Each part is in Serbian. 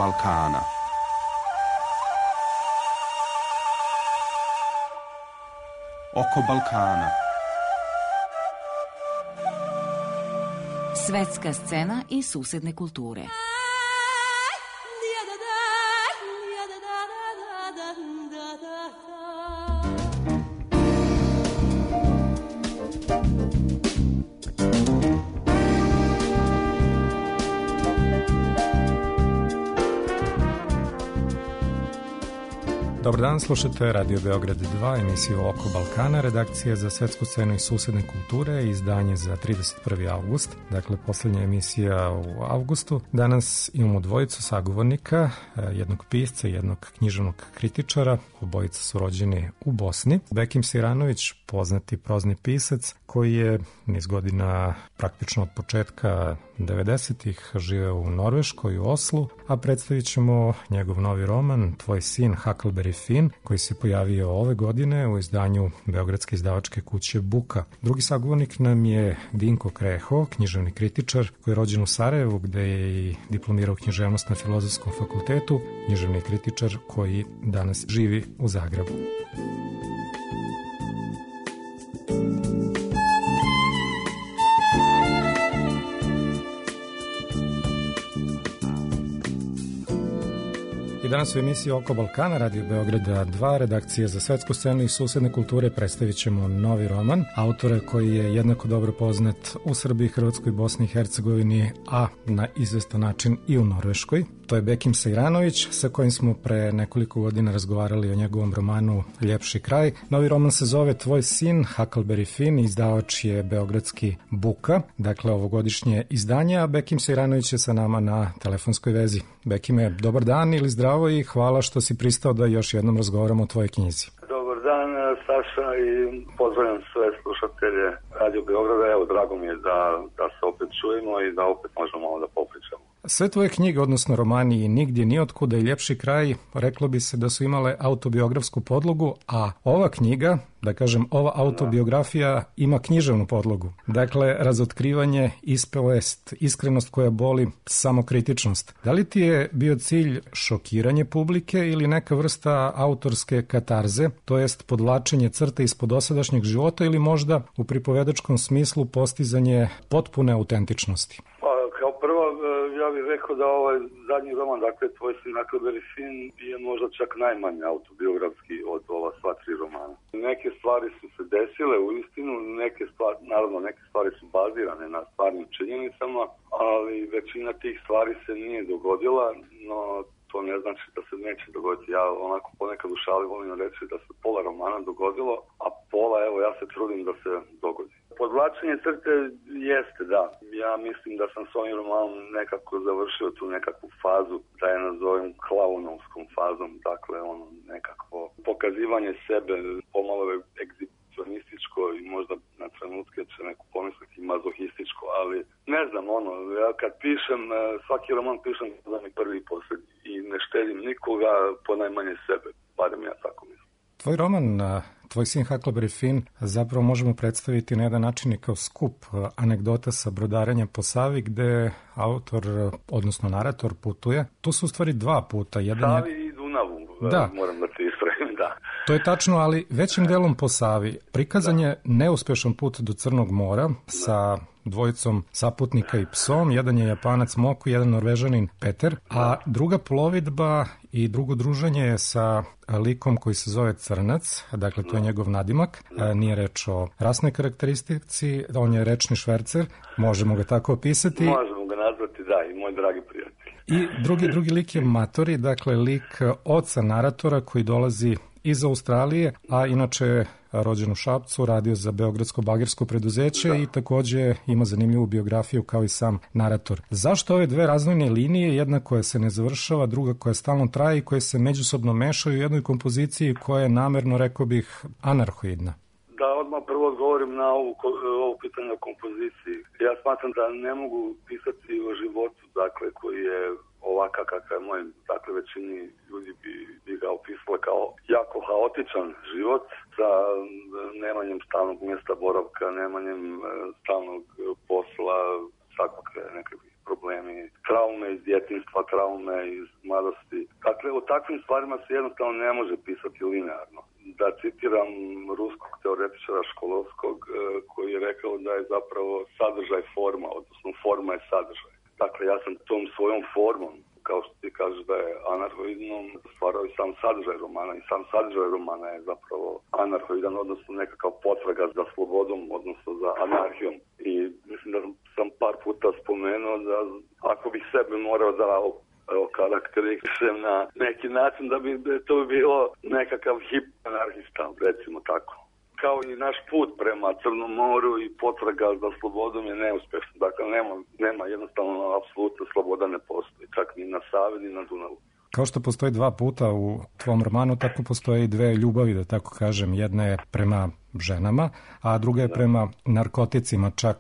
Balkana. Oko Balkana. Svetska scena i susedne kulture. Dobar dan, slušate Radio Beograd 2, emisiju Oko Balkana, redakcija za svetsku scenu i susedne kulture, izdanje za 31. avgust, dakle poslednja emisija u avgustu. Danas imamo dvojicu sagovornika, jednog pisca i jednog književnog kritičara, obojica su rođeni u Bosni. Bekim Sejranović, poznati prozni pisac, koji je niz godina praktično od početka 90-ih živeo u Norveškoj, u Oslu, a predstavit ćemo njegov novi roman Tvoj sin Huckleberry Finn, koji se pojavio ove godine u izdanju beogradske izdavačke kuće Buka. Drugi sagovornik nam je Dinko Kreho, književni kritičar koji je rođen u Sarajevu, gde je i diplomirao književnost na Filozofskom fakultetu, književni kritičar koji danas živi u Zagrebu. Danas u emisiji Oko Balkana, Radio Beograda 2, redakcija za svetsku scenu i susedne kulture, predstavit ćemo novi roman autora koji je jednako dobro poznat u Srbiji, Hrvatskoj, Bosni i Hercegovini, a na izvestan način i u Norveškoj. To je Bekim Sejranović, sa kojim smo pre nekoliko godina razgovarali o njegovom romanu Ljepši kraj. Novi roman se zove Tvoj sin Huckleberry Finn, izdavač je beogradski Buka, dakle ovogodišnje izdanje, a Bekim Sejranović je sa nama na telefonskoj vezi. Bekime, dobar dan ili zdravo i hvala što si pristao da još jednom razgovaramo o tvojoj knjizi. Dobar dan, Saša, i pozdravljam sve slušatelje Radio Beograda. Evo, drago mi je da se opet čujemo i da opet možemo da popričamo. Sve tvoje knjige, odnosno romani i Nigdje niotkuda i Ljepši kraj, reklo bi se da su imale autobiografsku podlogu, a ova knjiga, da kažem, ova autobiografija ima književnu podlogu. Dakle, razotkrivanje, ispovest, iskrenost koja boli, samokritičnost. Da li ti je bio cilj šokiranje publike ili neka vrsta autorske katarze, to jest podvlačenje crte ispod dosadašnjeg života ili možda u pripovedačkom smislu postizanje potpune autentičnosti? Kao prvo, ja bih rekao da ovaj zadnji roman, dakle Tvoj sin Huckleberry Finn, je možda čak najmanje autobiografski od ova sva tri romana. Neke stvari su se desile u istinu, neke stvari su bazirane na stvarnim činjenicama, ali većina tih stvari se nije dogodila, no to ne znači da se neće dogoditi. Ja onako ponekad u šali volim reći da se pola romana dogodilo, a pola, evo, ja se trudim da se dogodi. Podvlačenje crte jeste, da. Ja mislim da sam s ovim romanom nekako završio tu nekakvu fazu, da je nazovem klaunovskom fazom, dakle ono nekako pokazivanje sebe, pomalo egzibicionističko i možda na trenutke će neko pomisliti mazohističko, ali ne znam, ja kad pišem, svaki roman pišem za mi prvi i posljednji i ne štedim nikoga, ponajmanje sebe, barem ja tako mislim. Tvoj roman Tvoj sin Huckleberry Finn zapravo možemo predstaviti na jedan način i kao skup anegdota sa brodarenjem po Savi, gde autor, odnosno narator, putuje. Tu su u stvari dva puta. Savi i Dunavu, da. Moram da se ispravim, da. To je tačno, ali većim delom po Savi. Prikazan je neuspešan put do Crnog mora sa dvojicom saputnika i psom. Jedan je Japanac Moku, jedan Norvežanin Peter, a druga plovidba i drugo druženje je sa likom koji se zove Crnac, dakle to je njegov nadimak, nije reč o rasnoj karakteristici, on je rečni švercer, možemo ga tako opisati. Možemo ga nazvati, da, i moj dragi prijatelj. I drugi lik je Matori, dakle lik oca naratora koji dolazi iz Australije, a inače rođen u Šapcu, radio za beogradsko bagersko preduzeće i takođe ima zanimljivu biografiju kao i sam narator. Zašto ove dve razvojne linije, jedna koja se ne završava, druga koja stalno traje i koje se međusobno mešaju u jednoj kompoziciji koja je namerno, rekao bih, anarhoidna? Da odmah prvo odgovorim na ovo pitanje o kompoziciji. Ja smatram da ne mogu pisati o životu, dakle, koji je ovakav kakav je moj, dakle većini ljudi bi ga opisali kao jako haotičan život sa nemanjem stalnog mjesta boravka, nemanjem stalnog posla, svakakve nekakvih problemi, traume iz djetinjstva, traume iz mladosti. Dakle, o takvim stvarima se jednostavno ne može pisati linearno. Da citiram ruskog teoretičara Školovskog koji je rekao da je zapravo sadržaj forma, odnosno forma je sadržaj. Dakle, ja sam tom svojom formom, kao što ti kažeš da je anarhoidnom, stvarao i sam sadržaj romana i sam sadržaj romana je zapravo anarhoidan, odnosno nekakav potraga za slobodom, odnosno za anarhijom. I mislim da sam par puta spomenuo da ako bih sebe morao da karakterišem na neki način, da bi to bilo nekakav hip anarhista, recimo tako. Kao i naš put prema Crnom moru i potraga za slobodom je neuspješna. Dakle, nema jednostavno apsolutno sloboda ne postoji, čak ni na Savi ni na Dunavu. Kao što postoji dva puta u tvom romanu, tako postoje i dve ljubavi, da tako kažem. Jedna je prema ženama, a druga je prema narkoticima. Čak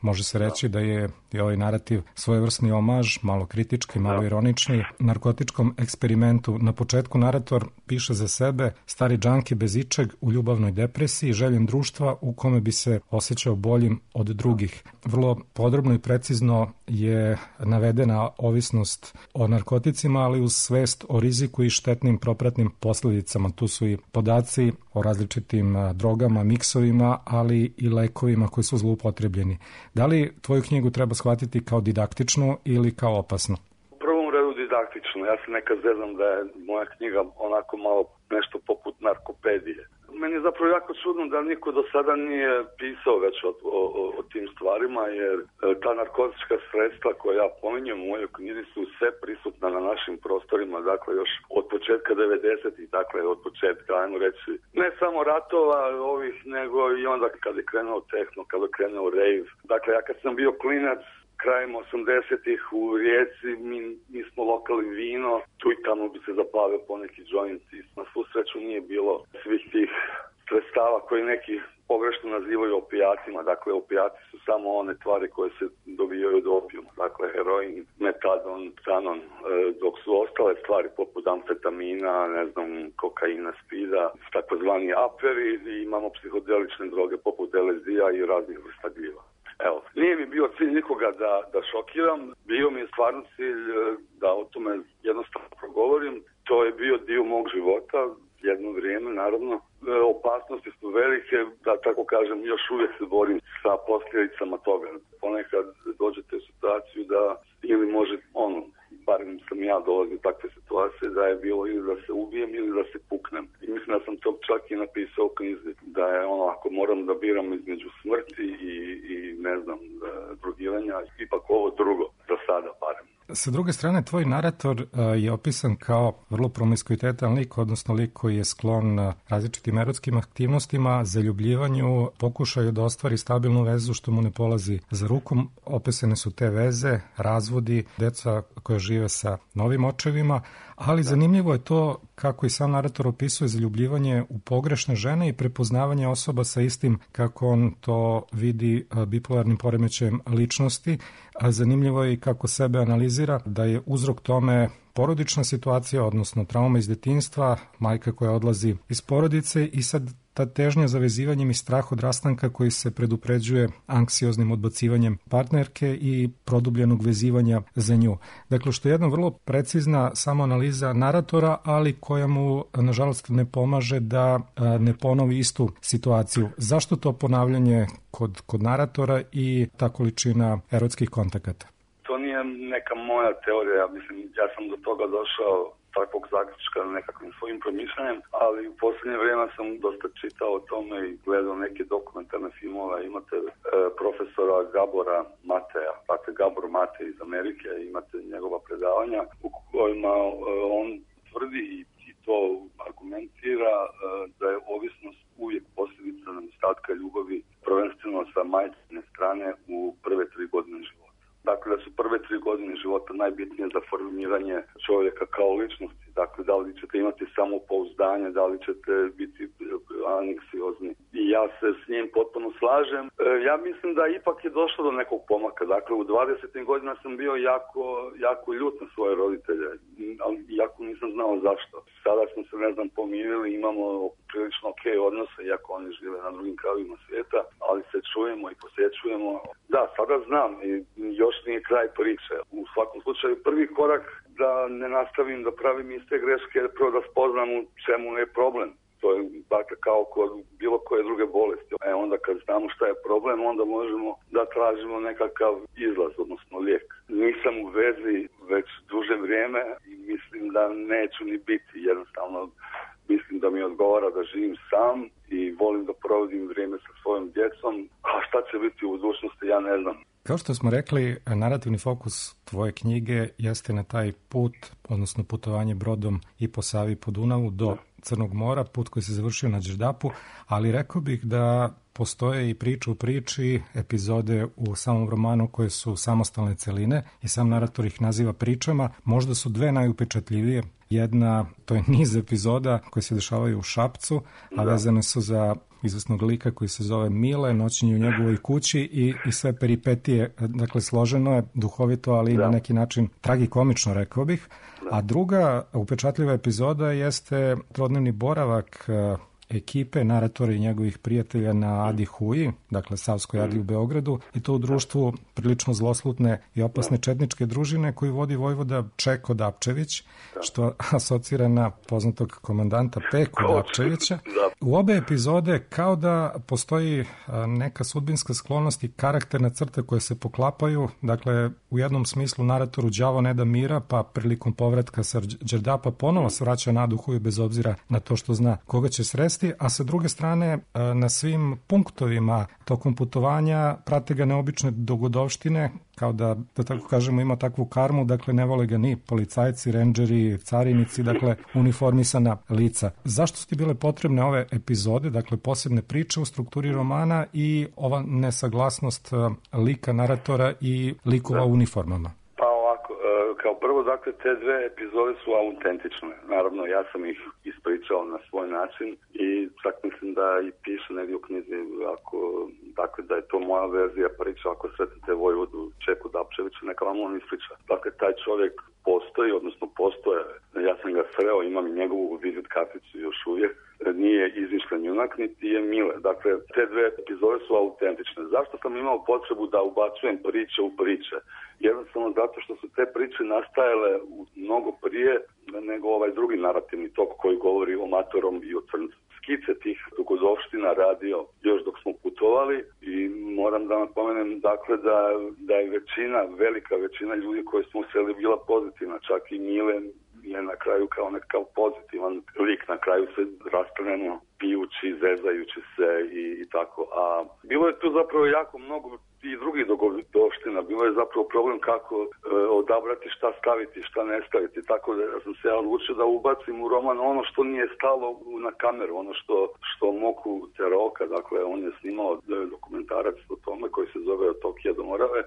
može se reći da je i ovaj narativ svojevrsni omaž, malo kritički, malo ironični, narkotičkom eksperimentu. Na početku narator piše za sebe: stari džanki bez ičeg u ljubavnoj depresiji, željen društva u kome bi se osjećao boljim od drugih. Vrlo podrobno i precizno je navedena ovisnost o narkoticima, ali uz svest o riziku i štetnim propratnim posljedicama. Tu su i podaci o različitim drogama, miksovima, ali i lekovima koji su zloupotrebljeni. Da li tvoju knjigu treba shvatiti kao didaktičnu ili kao opasnu? U prvom redu didaktično. Ja se nekad zezam da je moja knjiga onako malo nešto poput narkopedije. Meni je zapravo jako čudno da niko do sada nije pisao već o tim stvarima, jer ta narkotička sredstva koja ja pominjem u mojoj knjizi su sve prisutna na našim prostorima, dakle još od početka 90-ih, dakle od početka, ajmo reći, ne samo ratova ovih, nego i onda kad je krenuo tehno, kad je krenuo rave. Dakle, ja kad sam bio klinac, krajem 80-ih u Rijeci, mi smo lokali vino, tu i tamo bi se zapalio poneki joint. Na svu sreću nije bilo svih tih sredstava koji neki pogrešno nazivaju opijatima. Dakle, opijati su samo one tvari koje se dobijaju od opijuma. Dakle, heroin, metadon, xanon, dok su ostale stvari poput amfetamina, ne znam, kokaina, spida, takozvani aperi, i imamo psihodelične droge poput LSD-a i raznih vrsta gljiva. Evo, nije mi bio cilj nikoga da šokiram, bio mi je stvarno cilj da o tome jednostavno progovorim. To je bio dio mog života, jedno vrijeme, naravno. Opasnosti su velike, da tako kažem, još uvijek se borim sa posljedicama toga. Ponekad dođete u situaciju da ili može, barem sam ja dolazio u takve situacije, da je bilo ili da se ubijem ili da se puknem. I mislim da sam to čak i napisao u knjizi, da je ako moram da biram između smrti i ne znam, drogiranja, ipak ovo drugo, za sada barem. Sa druge strane, tvoj narator je opisan kao vrlo promiskuitetan lik, odnosno lik koji je sklon različitim erotskim aktivnostima, zaljubljivanju, pokušaju da ostvari stabilnu vezu što mu ne polazi za rukom. Opisane su te veze, razvodi, deca koja žive sa novim očevima, ali zanimljivo je to kako i sam narator opisuje zaljubljivanje u pogrešne žene i prepoznavanje osoba sa istim, kako on to vidi, bipolarnim poremećajem ličnosti. A zanimljivo je i kako sebe analizira da je uzrok tome porodična situacija, odnosno trauma iz detinjstva, majka koja odlazi iz porodice i sad ta težnja za vezivanjem i strah od rastanka koji se predupređuje anksioznim odbacivanjem partnerke i produbljenog vezivanja za nju. Dakle, što je jedna vrlo precizna samoanaliza naratora, ali koja mu, nažalost, ne pomaže da ne ponovi istu situaciju. Zašto to ponavljanje kod naratora i ta količina erotskih kontakata? To nije neka moja teorija, ja sam do toga došao takvog zaključka nekakvim svojim promišljanjem, ali u posljednje vrijeme sam dosta čitao o tome i gledao neke dokumentarne filmove. Imate profesora Gabora Mateja, dakle Gabor Matej iz Amerike, imate njegova predavanja u kojima on tvrdi i to argumentira da je ovisnost uvijek posljedica nedostatka ljubavi, prvenstveno sa majčine strane u prve 3 godine života. Dakle, da su prve 3 godine života najbitnije za formiranje čovjeka kao ličnosti. Dakle, da li ćete imati samopouzdanje putovanje, da li ćete biti anksiozni. I ja se s njim potpuno slažem. Ja mislim da ipak je došlo do nekog pomaka. Dakle, u 20. godina sam bio jako ljut na svoje roditelje, ali jako nisam znao zašto. Sada smo se, pomirili, imamo prilično odnose, iako oni žive na drugim krajevima svijeta, ali se čujemo i posjećujemo. Da, sada znam i još nije kraj priče. U svakom slučaju, prvi korak da ne nastavim da pravim iste greške, je prvo da spoznam u čemu je problem. To je dakle kao kod bilo koje druge bolesti. Onda kad znamo šta je problem, onda možemo da tražimo nekakav izlaz, odnosno lijek. Nisam u vezi već duže vrijeme i mislim da neću ni biti. Jednostavno mislim da mi odgovara da živim sam i volim da provodim vrijeme sa svojom djecom. A šta će biti u budućnosti, ja ne znam. Kao što smo rekli, narativni fokus tvoje knjige jeste na taj put, odnosno putovanje brodom i po Savi i po Dunavu do Crnog mora, put koji se završio na Đerdapu, ali rekao bih da postoje i priča u priči, epizode u samom romanu koje su samostalne celine i sam narator ih naziva pričama. Možda su dve najupečatljivije. Jedna, to je niz epizoda koje se dešavaju u Šapcu, a vezane su za izvesnog lika koji se zove Mile, noćenje u njegovoj kući i sve peripetije. Dakle, složeno je, duhovito, ali na neki način tragikomično, rekao bih. A druga upečatljiva epizoda jeste trodnevni boravak ekipe, naratora i njegovih prijatelja na Adi Huji, dakle Savskoj Adi u Beogradu, i to u društvu prilično zloslutne i opasne četničke družine koju vodi vojvoda Čeko Dapčević, što asocira na poznatog komandanta Peku Dapčevića. U obe epizode kao da postoji neka sudbinska sklonost i karakterna crta koje se poklapaju, dakle u jednom smislu naratoru đavo ne da mira, pa prilikom povratka sa Đerdapa ponovo se vraća na Adu Huju bez obzira na to što zna koga će sresti, a sa druge strane na svim punktovima tokom putovanja prate ga neobične dogodovštine, kao da tako kažemo ima takvu karmu, dakle ne vole ga ni policajci, rendžeri, carinici, dakle uniformisana lica. Zašto su ti bile potrebne ove epizode, dakle posebne priče u strukturi romana i ova nesaglasnost lika naratora i likova u uniformama? Pa ovako, kao prvo, dakle, te dve epizode su autentične. Naravno, ja sam ih ispričao na svoj način i čak mislim da i piše negdje u knjizi, dakle, da je to moja verzija priča. Ako sretnete vojvodu Čeku Dapčevića, neka vam on ispriča. Dakle, taj čovjek postoji, odnosno postoje. Ja sam ga sreo, imam i njegovu vizit karticu još uvijek. Nije izmišljen junak, niti je Mile. Dakle, te dve epizode su autentične. Zašto sam imao potrebu da ubacujem priče u priče? Jednostavno zato što su te priče nastajale mnogo prije nego ovaj drugi narativni tok koji govori o Matorom i o Crncu. Skice tih dogodovština radio još dok smo putovali i moram da napomenem dakle da je velika većina ljudi koji smo sreli bila pozitivna, čak i Mile je na kraju kao nekakav pozitivan lik, na kraju se raspravljeno pijući, zezajući se i tako. A bilo je tu zapravo jako mnogo i drugih dogodovština. Bilo je zapravo problem kako odabrati šta staviti, šta ne staviti. Tako da sam se ja odlučio da ubacim u roman ono što nije stalo na kameru, ono što Moku Teroka, dakle on je snimao dokumentarac o tome koji se zove Od Tokija do Morave,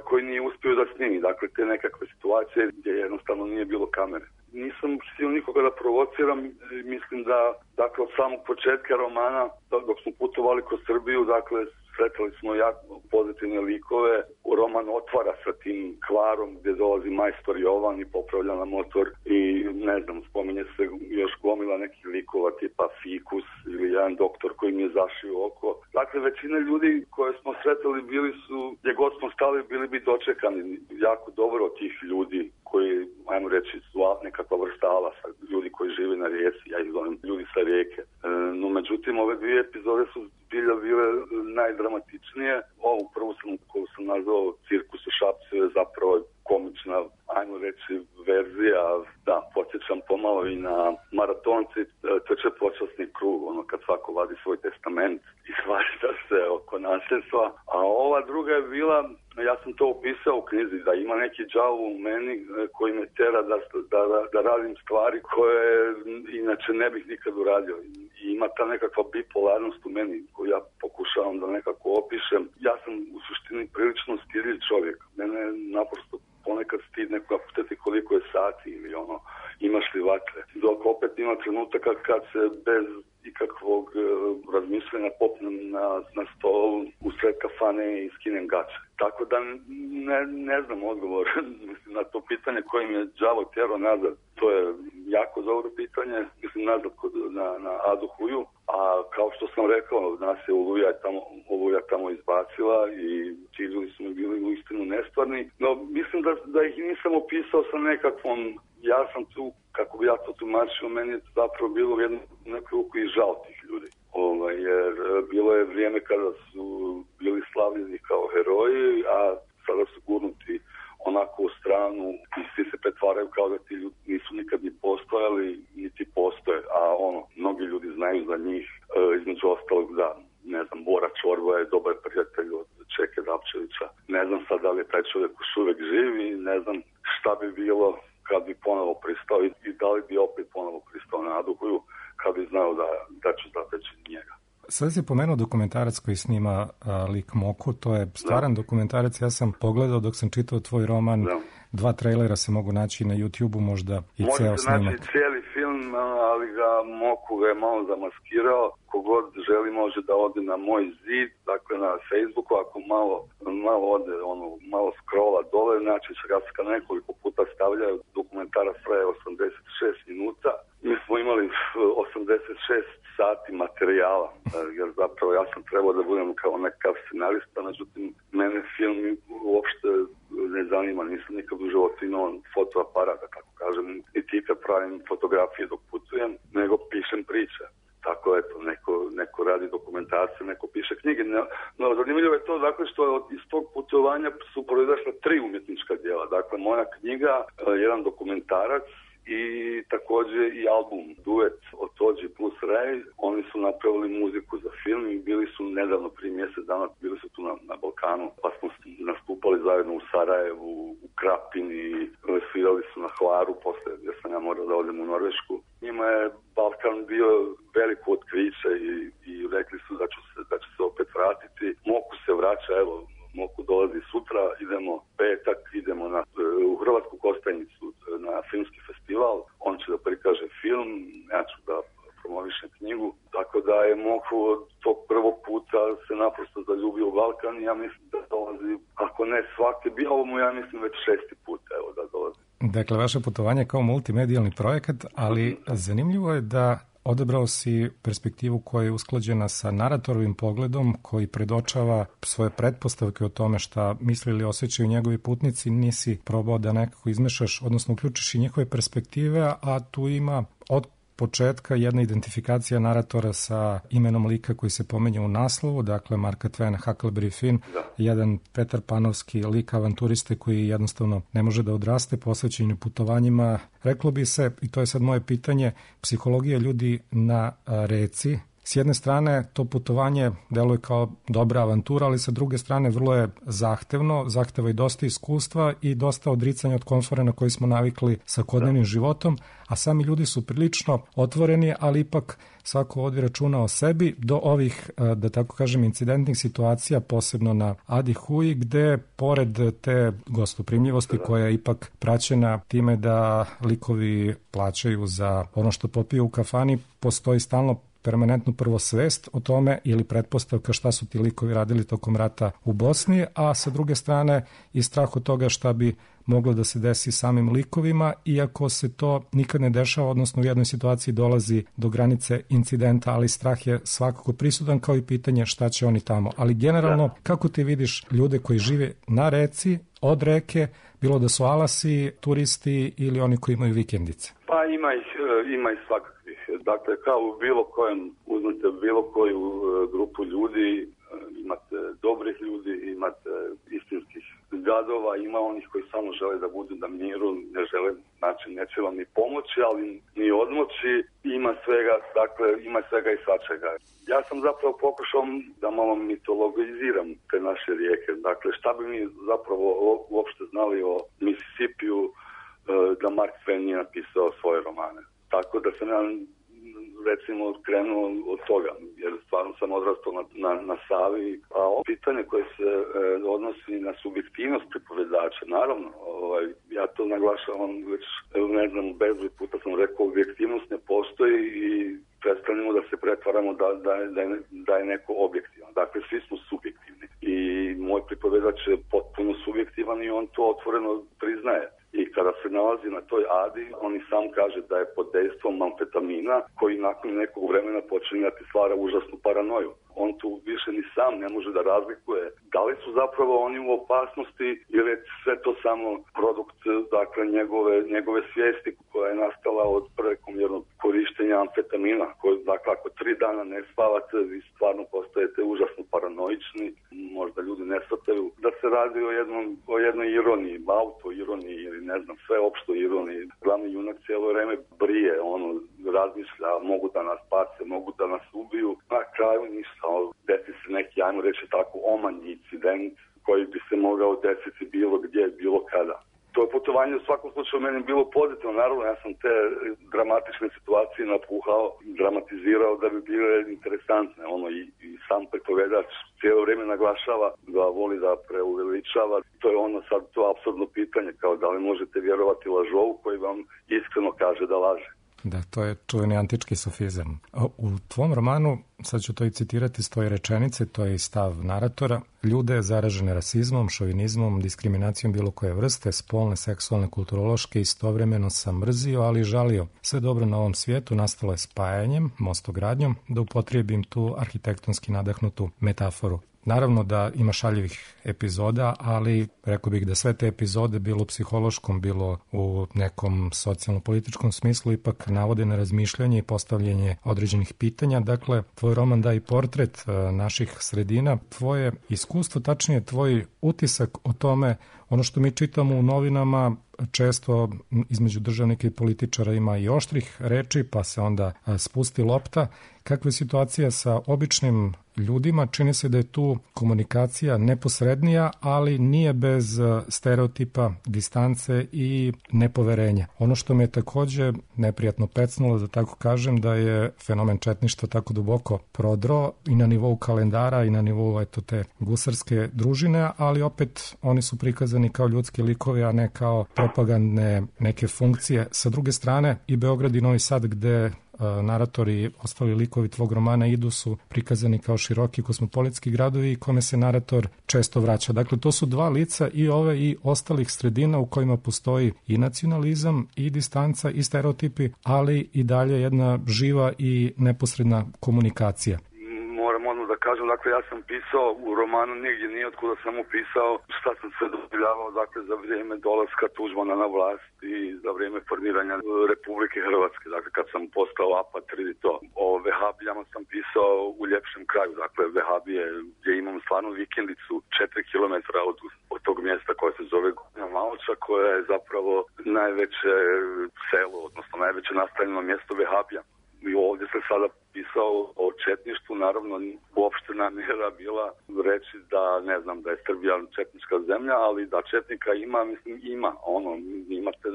koji nije uspio da snimi. Dakle, te nekakve situacije gdje jednostavno nije bilo kamere. Nisam htio nikoga da provociram, mislim da dakle od samog početka romana, dok smo putovali kroz Srbiju, dakle sretali smo jako pozitivne likove. Roman otvara sa tim kvarom gdje dolazi majstor Jovan i popravlja na motor i ne znam, spominje se još gomila nekih likova tipa Fikus ili jedan doktor koji mi je zašio oko. Dakle, većina ljudi koje smo sretali bili su, gdje god smo stali, bili bi dočekani jako dobro od tih ljudi koji, ajmo reći, su nekakva vrsta alasa, ljudi koji žive na rijeci, ja ih zovem ljudi sa rijeke. No, međutim, ove dvije epizode su bile najdramatičnije. Ovu prvu koju sam nazvao Cirkus u Šapcu je zapravo komična, ajmo reći, verzija. Da, podsjećam pomalo i na maratonci trče počasni krug, ono kad svako vadi svoj testament i svašta se oko nasljedstva. A ova druga je bila, ja sam to opisao u knjizi, da ima neki đavo u meni koji me tera da radim stvari koje inače ne bih nikad uradio. I ima ta nekakva bipolarnost u meni koju ja pokušavam da nekako opišem. Ja sam u suštini prilično stidljiv čovjek. Mene naprosto ponekad stid nekoga pitati koliko je sati ili imaš li vatre. Dok opet ima trenutaka kad se bez ikakvog razmišljanja popnem na stolu usred kafane i skinem gače. Tako da ne znam odgovor mislim, na to pitanje koje mi je đavo tjerao nazad. To je jako dobro pitanje, mislim nazad na Adu Huju, a kao što sam rekao, nas je Oluja tamo izbacila i ti ljudi su mi bili uistinu nestvarni, no mislim da ih nisam opisao sa nekakvom, ja sam tu, kako bi ja to tumačio, meni je zapravo bilo jedno neku ruku i žao tih ljudi. Jer bilo je vrijeme kada su bili slavljeni kao heroji, a sada su gurnuti onako u stranu i svi se pretvaraju kao da ti ljudi nisu nikad ni postojali, niti postoje, a mnogi ljudi znaju za njih, između ostalog da, ne znam, Bora Čorba je dobar prijatelj od Čeke Dapčevića. Ne znam sad da li je taj čovjek još uvijek živi, ne znam šta bi bilo kad bi ponovo pristao i da li bi opet ponovo pristao na Adu Huju kad bi znao da ću zateći njega. Sad si pomenuo dokumentarac koji snima lik Moku, to je stvaran dokumentarac, ja sam pogledao dok sam čitao tvoj roman, 2 trailera se mogu naći na YouTube-u, možda i ceo snimak. Može se naći cijeli film, ali ga Moku ga je malo zamaskirao, kogod želi može da ode na moj zid, dakle na Facebooku, ako malo ode, malo scrolla dole, znači ga nekoliko puta stavljaju, dokumentarac traje 86 minuta. Mi smo imali 86 sati materijala, jer zapravo ja sam trebao da budem kao nekakav scenarista, međutim, mene film uopšte ne zanima, nisam nikad u životu imao fotoaparat, da tako kažem, i ti kad pravim fotografije dok putujem, nego pišem priče. Tako eto, neko radi dokumentarce, neko piše knjige. No, zanimljivo je to, dakle, što iz tog putovanja su proizašla 3 umjetnička djela. Dakle, moja knjiga, jedan dokumentarac, i također i album duet od Tođi plus Ray. Oni su napravili muziku za film i bili su nedavno, prije mjesec dana, bili su tu na Balkanu, pa smo nastupali zajedno u Sarajevu, u Krapini, svirali su na Hvaru, poslije gdje sam ja morao da odem u Norvešku. Njima je Balkan bio veliko otkriće i rekli su da će se opet vratiti. Moku se vraća, evo, Moku dolazi sutra, idemo petak, idemo u Hrvatsku Kostajnicu na filmski festival, on će da prikaže film, ja ću da promovišem knjigu, tako da je Moku od tog prvog puta se naprosto zaljubio u Balkan i ja mislim da dolazi, ako ne svaki, bio mu ja mislim već 6. put evo da dolazi. Dakle, vaše putovanje kao multimedijalni projekat, ali zanimljivo je da odabrao si perspektivu koja je usklađena sa naratorovim pogledom koji predočava svoje pretpostavke o tome šta misle ili osjećaju njegovi putnici, nisi probao da nekako izmešaš, odnosno uključiš i njihove perspektive, a tu ima od početka jedna identifikacija naratora sa imenom lika koji se pominje u naslovu, dakle Marka Twaina, Huckleberry Finn, jedan Petar Panovski lik avanturiste koji jednostavno ne može da odraste posvećenju putovanjima. Reklo bi se, i to je sad moje pitanje, psihologija ljudi na reci. S jedne strane, to putovanje deluje kao dobra avantura, ali sa druge strane vrlo je zahtevno, zahteva i dosta iskustva i dosta odricanja od komfora na koji smo navikli svakodnevnim životom, a sami ljudi su prilično otvoreni, ali ipak svako vodi računa o sebi do ovih, da tako kažem, incidentnih situacija, posebno na Adi Huji, gde pored te gostoprimljivosti koja je ipak praćena time da likovi plaćaju za ono što popiju u kafani, postoji stalno permanentnu prvo svest o tome ili pretpostavka šta su ti likovi radili tokom rata u Bosni, a sa druge strane i strah od toga šta bi moglo da se desi samim likovima, iako se to nikad ne dešava, odnosno u jednoj situaciji dolazi do granice incidenta, ali strah je svakako prisutan, kao i pitanje šta će oni tamo. Ali generalno, kako ti vidiš ljude koji žive na reci, od reke, bilo da su alasi, turisti ili oni koji imaju vikendice? Pa ima ih svakakvih. Dakle, kao u bilo kojem, uzmite bilo koju grupu ljudi, imate dobrih ljudi, imate istinskih gadova, ima onih koji samo žele da budu na miru, ne žele, znači neće vam ni pomoći, ali ni odmoći, ima svega, dakle, ima svega i svačega. Ja sam zapravo pokušao da malo mitologiziram te naše rijeke, dakle, šta bi mi zapravo uopšte znali o Mississippiju da Mark Twain nije napisao svoje romane. Tako da sam ja recimo krenuo od toga, jer stvarno sam odrastao na Savi, a ovo pitanje koje se odnosi na subjektivnost pripovedača, naravno, ja to naglašavam već, bezbroj puta sam rekao, objektivnost ne postoji i prestanemo da se pretvaramo da je neko objektivan. Dakle, svi smo subjektivni i moj pripovedač je potpuno subjektivan i on to otvoreno priznaje. I kada se nalazi na toj adi, on i sam kaže da je pod dejstvom amfetamina koji nakon nekog vremena počinje da ti stvara užasnu paranoju. On tu više ni sam ne može da razlikuje da li su zapravo oni u opasnosti ili je sve to samo produkt, dakle, njegove svijesti koja je nastala od prekomjernog korištenja amfetamina. Dakle, ako 3 dana ne spavate, vi stvarno postajete užasno paranoični, možda ljudi ne shvataju da se radi o jednoj ironiji, auto-ironiji ili sve opšto ironiji. Glavni junak cijelo vreme brije, razmišlja, mogu da nas pace, mogu da nas ubiju. Na kraju ništa, desi se neki, ajmo reći tako, omanji incident koji bi se mogao desiti bilo gdje, bilo kada. To je putovanje u svakom slučaju meni bilo pozitivno. Naravno, ja sam te dramatične situacije napuhao, dramatizirao da bi bile interesantne. I sam pripovedač cijelo vrijeme naglašava da voli da preuveličava. To je sad to apsurdno pitanje, kao da li možete vjerovati lažovu koji vam iskreno kaže da laže. Da, to je čuveni antički sofizam. U tvom romanu, sad ću to i citirati iz tvoje rečenice, to je i stav naratora, ljude zaražene rasizmom, šovinizmom, diskriminacijom bilo koje vrste, spolne, seksualne, kulturološke, istovremeno sam mrzio, ali i žalio. Sve dobro na ovom svijetu nastalo je spajanjem, mostogradnjom, da upotrijebim tu arhitektonski nadahnutu metaforu. Naravno da ima šaljivih epizoda, ali rekao bih da sve te epizode, bilo u psihološkom, bilo u nekom socijalno-političkom smislu, ipak navode na razmišljanje i postavljanje određenih pitanja. Dakle, tvoj roman daje portret naših sredina, tvoje iskustvo, tačnije tvoj utisak o tome, ono što mi čitamo u novinama, često između državnika i političara ima i oštrih reči, pa se onda spusti lopta. Kakva je situacija sa običnim ljudima? Čini se da je tu komunikacija neposrednija, ali nije bez stereotipa, distance i nepoverenja. Ono što me je također neprijatno pecnulo, da tako kažem, da je fenomen četništva tako duboko prodro i na nivou kalendara i na nivou te gusarske družine, ali opet oni su prikazani kao ljudski likovi, a ne kao propagandne neke funkcije. Sa druge strane, i Beograd i Novi Sad, gde naratori i ostali likovi tvog romana idu, su prikazani kao široki kosmopolitski gradovi i kome se narator često vraća. Dakle, to su dva lica i ove i ostalih sredina u kojima postoji i nacionalizam i distanca i stereotipi, ali i dalje jedna živa i neposredna komunikacija. Moram odmah da kažem, dakle, ja sam pisao u romanu nigdje nije otkuda sam upisao šta sam sve doživljavao, dakle, za vrijeme dolaska Tuđmana na vlast i za vrijeme formiranja Republike Hrvatske, dakle, kad sam postao apatrid i to. O vehabijama sam pisao u ljepšem kraju, dakle, vehabije gdje imam stvarno vikendicu 4 km od tog mjesta koje se zove Gornja Maloča, koja je zapravo najveće selo, odnosno najveće nastanjeno mjesto vehabija. I ovdje se sada pisao o četništvu, naravno uopšte namjera bila reći da, da je Srbija četnička zemlja, ali da četnika ima, ima. Imate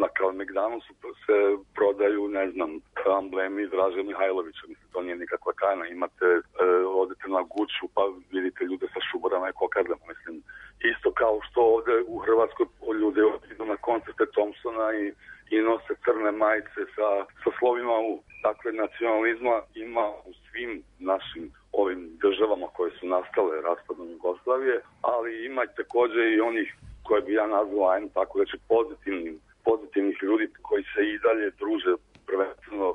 na Kalemegdanu se prodaju, amblemi Draže Mihajlovića, to nije nikakva tajna. Odete na Guču pa vidite ljude sa šuborama i kokardama, isto kao što ovdje u Hrvatskoj ljudi idu na koncerte Thompsona i nose crne majice sa slovima U. Dakle, nacionalizma ima u svim našim ovim državama koje su nastale raspadom Jugoslavije, ali ima također i onih koje bi ja nazvao, tako reći, pozitivnih ljudi koji se i dalje druže, prvenstveno,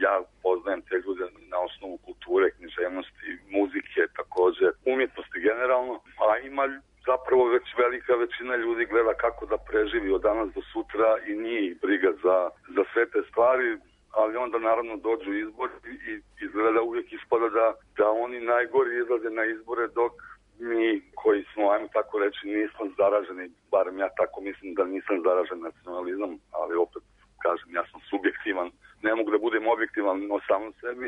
ja poznajem te ljude na osnovu kulture, književnosti, muzike, također, umjetnosti generalno, a ima zapravo već velika većina ljudi gleda kako da preživi od danas do sutra i nije ih briga za sve te stvari, ali onda naravno dođu izbori i izgleda uvijek ispada da oni najgori izlaze na izbore dok mi koji smo, ajmo tako reći, nismo zaraženi, barem ja tako mislim da nisam zaražen nacionalizam, ali opet kažem, ja sam subjektivan, ne mogu da budem objektivan o samom sebi,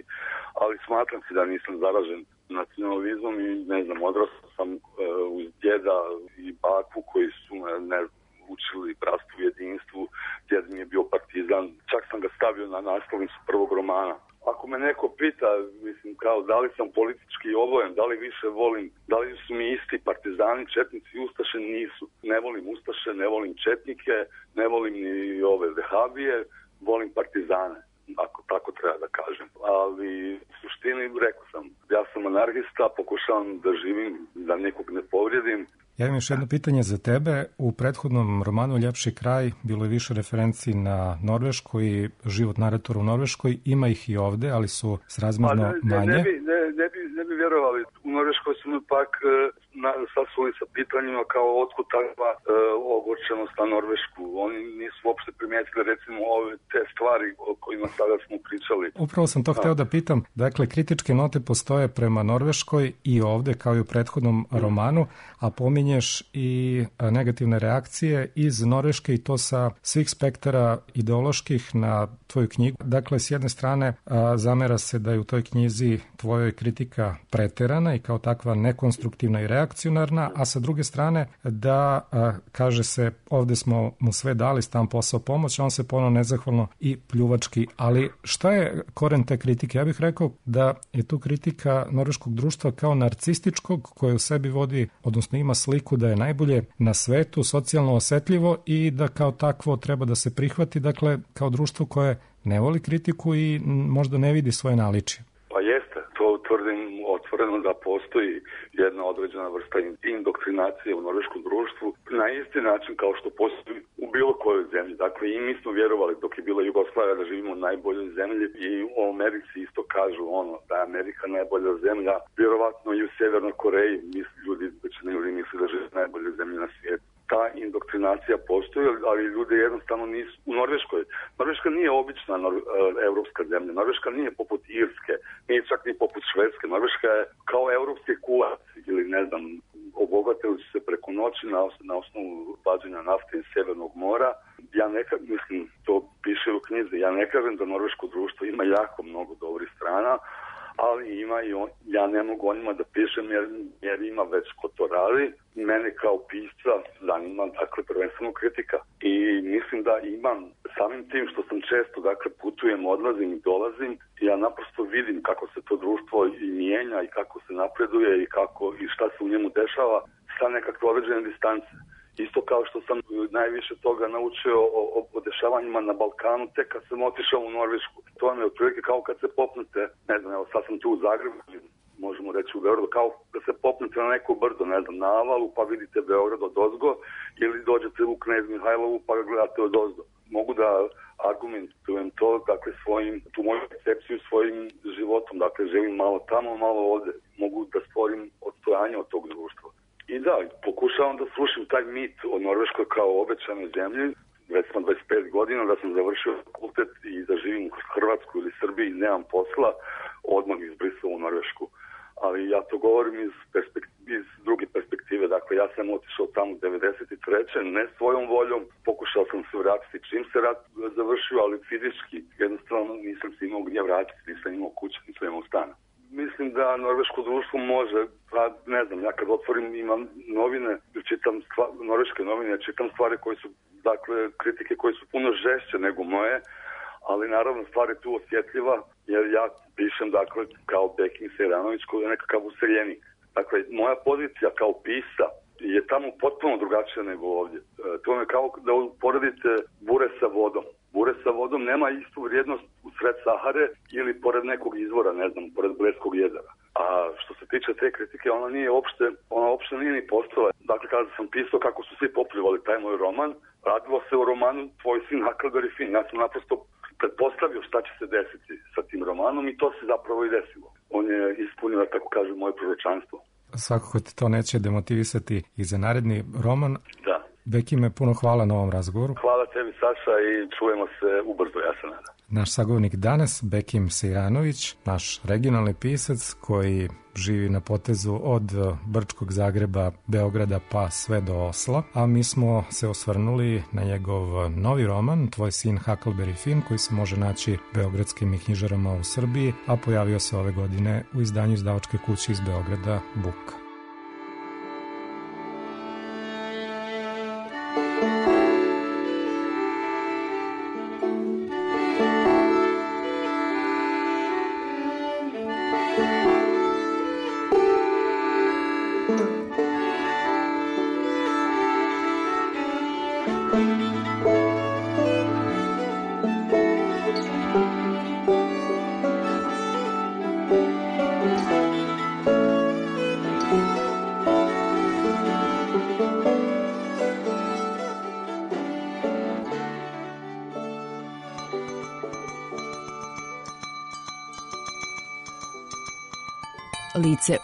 ali smatram se da nisam zaražen nacionalizmom i odrastao sam uz djeda i baku koji su učili Bratstvu u jedinstvu, djed mi je bio partizan, čak sam ga stavio na naslovnicu prvog romana. Ako me neko pita, mislim, kao da li sam politički obojen, da li više volim, da li su mi isti partizani, četnici i ustaše, nisu. Ne volim ustaše, ne volim četnike, ne volim ni ove vehabije, volim partizane, ako tako treba da kažem. Ali u suštini, rekao sam, ja sam anarhista, pokušavam da živim, da nekog ne povrijedim. Ja imam još jedno pitanje za tebe. U prethodnom romanu Ljepši kraj bilo je više referenciji na Norvešku i život naratora u Norveškoj. Ima ih i ovde, ali su srazmerno manje. Ne bi vjerovali. U Norveškoj su mi pak sasuli sa pitanjima kao otkud takva ogorčenost na Norvešku. Oni nisu uopšte primijetili recimo ove te stvari o kojima sada smo pričali. Upravo sam to hteo da pitam. Dakle, kritičke note postoje prema Norveškoj i ovde kao i u prethodnom romanu, a pominješ i negativne reakcije iz Norveške i to sa svih spektara ideoloških na tvoju knjigu. Dakle, s jedne strane zamera se da je u toj knjizi tvojoj kritika preterana i kao takva nekonstruktivna i reakcionarna, a sa druge strane da, kaže se, ovde smo mu sve dali, stan, posao, pomoć, a on se ponovno nezahvalno i pljuvački. Ali šta je koren te kritike? Ja bih rekao da je tu kritika norveškog društva kao narcističkog koje u sebi vodi, odnosno ima sliku da je najbolje na svetu, socijalno osetljivo i da kao takvo treba da se prihvati, dakle, kao društvo koje ne voli kritiku i možda ne vidi svoje naličje. Pa jeste, to tvrdim otvoreno da postoji jedna određena vrsta indoktrinacije u norveškom društvu na isti način kao što postoji u bilo kojoj zemlji. Dakle, i mi smo vjerovali dok je bila Jugoslavija da živimo u najboljoj zemlji i u Americi isto kažu da je Amerika najbolja zemlja. Vjerovatno i u Sjevernoj Koreji većina ljudi misli da žive u najboljoj zemlji na svijetu. Ta indoktrinacija postoji, ali ljudi jednostavno nisu u Norveškoj. Norveška nije obična evropska zemlja. Norveška nije poput Irske, nije čak ni poput Švedske. Norveška je kao evropski kulac ili ne znam, obogatili su se preko noći na osnovu vađenja nafte iz Sjevernog mora. Ja mislim, to piše u knjizi, ja ne kažem da norveško društvo ima jako mnogo dobrih strana, ali ima i ja ne mogu o njima da pišem jer ima već ko to radi. Mene kao pisca zanima, dakle, prvenstveno kritika. I mislim da imam, samim tim što sam često, dakle, putujem, odlazim i dolazim, ja naprosto vidim kako se to društvo i mijenja i kako se napreduje i šta se u njemu dešava sa nekakve određene distance. Isto kao što sam najviše toga naučio o dešavanjima na Balkanu tek kad sam otišao u Norvešku. To vam je otprilike kao kad se popnete, ne znam, evo sad sam tu u Zagrebu, možemo reći u Beogradu, kao da se popnete na neko brdo, ne znam, na Avalu pa vidite Beograd odozgo ili dođete u Knez Mihajlovu pa ga gledate odozgo. Mogu da argumentujem to, dakle, tu moju percepciju svojim životom, dakle, živim malo tamo, malo ovde. Mogu da stvorim odstojanje od tog društva. I da, pokušavam da slušam taj mit o Norveškoj kao obećanoj zemlji. Već sam 25 godina da sam završio fakultet i da živim u Hrvatsku ili Srbiji i nemam posla, odmah izbrisao u Norvešku. Ali ja to govorim iz druge perspektive. Dakle, ja sam otišao tamo 93. ne svojom voljom. Pokušao sam se vratiti čim se rat završio, ali fizički. Jednostavno nisam se imao gdje vratiti, nisam imao kuće, nisam imao stana. Mislim da norveško društvo može, ne znam, ja kad otvorim imam novine, čitam norveške novine, čitam stvari koje su, dakle, kritike koje su puno žešće nego moje, ali naravno stvar je tu osjetljiva, jer ja pišem, dakle, kao Bekim Sejranović koji je nekakav useljenik. Dakle, moja pozicija kao pisa je tamo potpuno drugačija nego ovdje. To je kao da uporedite bure sa vodom. Bure sa vodom nema istu vrijednost u sred Sahare ili pored nekog izvora, ne znam, pored Bleskog jezera. A što se tiče te kritike, ona uopšte nije ni postala. Dakle, kada sam pisao kako su svi popljuvali taj moj roman, radilo se o romanu Tvoj sin Huckleberry Finn. Ja sam naprosto pretpostavio šta će se desiti sa tim romanom i to se zapravo i desilo. On je ispunio, tako kažem, moje proročanstvo. Svakako te to neće demotivisati i za naredni roman. Da. Bekime, puno hvala na ovom razgovoru. Hvala tebi, Saša, i čujemo se ubrzo, ja se nadam. Naš sagovornik danas, Bekim Sejranović, naš regionalni pisac koji živi na potezu od Brčkog, Zagreba, Beograda pa sve do Osla, a mi smo se osvrnuli na njegov novi roman Tvoj sin Huckleberry Finn, koji se može naći beogradskim knjižarama u Srbiji, a pojavio se ove godine u izdanju izdavačke kuće iz Beograda Buk. Lice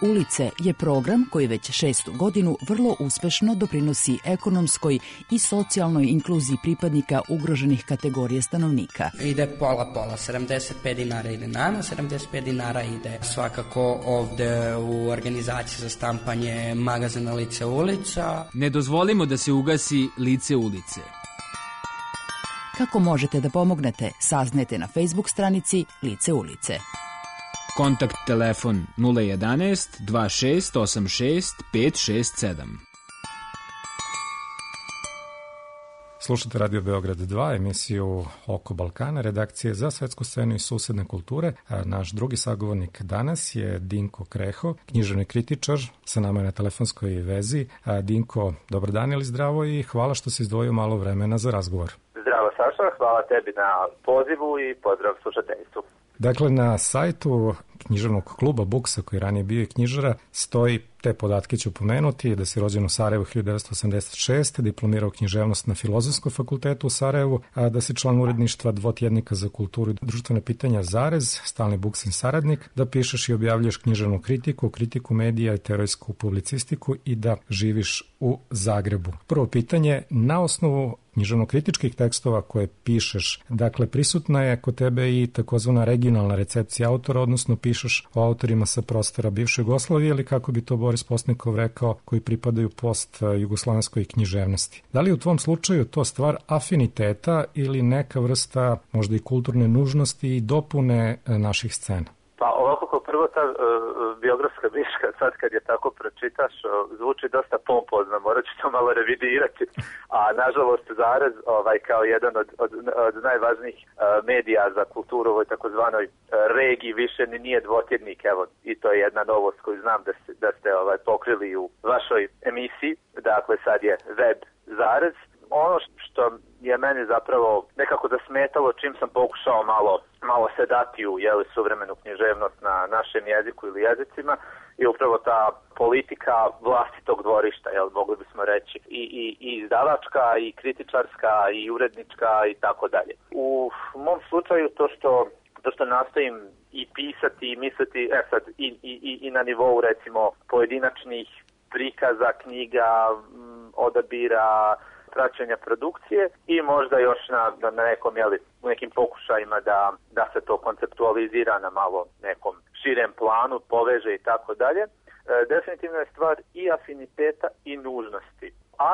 ulice je program koji već 6. godinu vrlo uspešno doprinosi ekonomskoj i socijalnoj inkluziji pripadnika ugroženih kategorija stanovnika. Ide pola-pola, 75 dinara ide nama, 75 dinara ide svakako ovde u organizaciji za štampanje magazina Lice ulica. Ne dozvolimo da se ugasi Lice ulice. Kako možete da pomognete, saznajte na Facebook stranici Lice ulice. Kontakt telefon 011 2686 567. Slušate Radio Beograd 2, emisiju Oko Balkana, redakcije za svetsku scenu i susedne kulture. Naš drugi sagovornik danas je Dinko Kreho, književni kritičar, sa nama je na telefonskoj vezi. Dinko, dobar dan ili zdravo i hvala što si izdvojio malo vremena za razgovor. Zdravo Saša, hvala tebi na pozivu i pozdrav slušateljstvu. Dakle, na sajtu književnog kluba Buksa, koji ranije bio i knjižara, stoji, te podatke ću pomenuti, da si rođen u Sarajevu 1986, diplomirao književnost na Filozofskom fakultetu u Sarajevu, a da si član uredništva dvotjednika za kulturu i društvene pitanja Zarez, stalni Buksin saradnik, da pišeš i objavljuješ književnu kritiku, kritiku medija i teorijsku publicistiku i da živiš u Zagrebu. Prvo pitanje, na osnovu književno-kritičkih tekstova koje pišeš, dakle, prisutna je kod tebe i takozvana regionalna recepcija autora, odnosno pišeš o autorima sa prostora bivše Jugoslavije ili, kako bi to Boris Postnikov rekao, koji pripadaju post-jugoslovenskoj književnosti. Da li u tvom slučaju to stvar afiniteta ili neka vrsta možda i kulturne nužnosti i dopune naših scena? Pa ovako kao prvo ta biografska biška, sad kad je tako pročitaš, zvuči dosta pompozno, morat ću to malo revidirati, a nažalost Zarez kao jedan od najvažnijih medija za kulturu u ovoj takozvanoj regiji više nije dvotjednik, evo, i to je jedna novost koju znam da ste pokrili u vašoj emisiji, dakle sad je web Zarez. Ono što je meni zapravo nekako zasmetalo čim sam pokušao malo se dati u suvremenu književnost na našem jeziku ili jezicima je upravo ta politika vlastitog dvorišta, mogli bismo reći, i izdavačka, i kritičarska, i urednička i tako dalje. U mom slučaju to što nastojim i pisati i misliti, sad i na nivou recimo pojedinačnih prikaza, knjiga, odabira, praćenja produkcije i možda još na nekim pokušajima da se to konceptualizira na malo nekom širem planu, poveže i tako dalje. Definitivno je stvar i afiniteta i nužnosti. A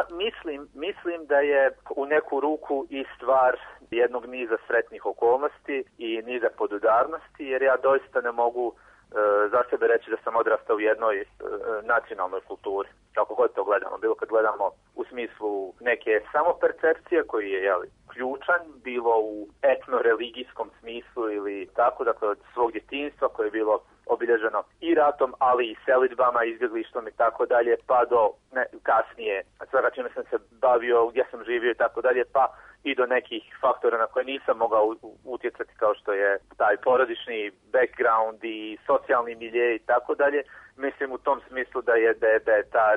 mislim da je u neku ruku i stvar jednog niza sretnih okolnosti i niza podudarnosti, jer ja doista ne mogu za sebe reći da sam odrastao u jednoj nacionalnoj kulturi. Kako god to gledamo, bilo kad gledamo u smislu neke samopercepcije koji je ključan, bilo u etno-religijskom smislu ili tako, dakle od svog djetinjstva koje je bilo obilježeno i ratom, ali i selidbama, izbjeglištvom i tako dalje, pa do kasnije svega čime sam se bavio, gdje sam živio i tako dalje, pa i do nekih faktora na koje nisam mogao utjecati kao što je taj porodični background i socijalni milje i tako dalje. Mislim u tom smislu da je ta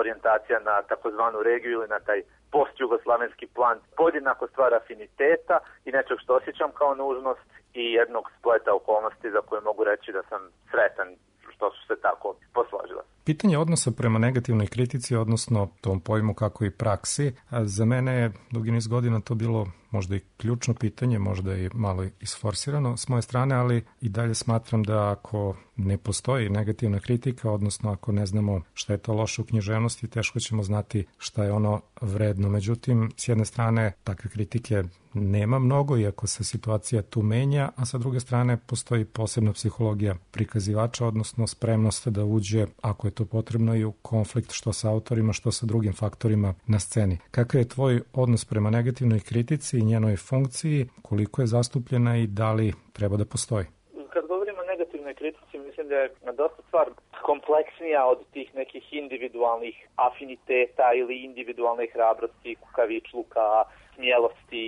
orijentacija na takozvanu regiju ili na taj post-jugoslavenski plan podjednako stvar afiniteta i nečeg što osjećam kao nužnost i jednog spleta okolnosti za koje mogu reći da sam sretan što su se tako posložile. Pitanje odnosa prema negativnoj kritici, odnosno tom pojmu kako i praksi, za mene je dugi niz godina to bilo možda i ključno pitanje, možda i malo isforsirano s moje strane, ali i dalje smatram da ako ne postoji negativna kritika, odnosno ako ne znamo šta je to loše u književnosti, teško ćemo znati šta je ono vredno. Međutim, s jedne strane, takve kritike nema mnogo, iako se situacija tu menja, a sa druge strane postoji posebna psihologija prikazivača, odnosno spremnost da uđe, ako je to potrebno, i u konflikt što sa autorima, što sa drugim faktorima na sceni. Kakav je tvoj odnos prema negativnoj kritici i njenoj funkciji, koliko je zastupljena i da li treba da postoji? Kad govorimo o negativnoj negativnoj kritici mislim da je dosta stvar kompleksnija od tih nekih individualnih afiniteta ili individualne hrabrosti, kukavičluka, smjelosti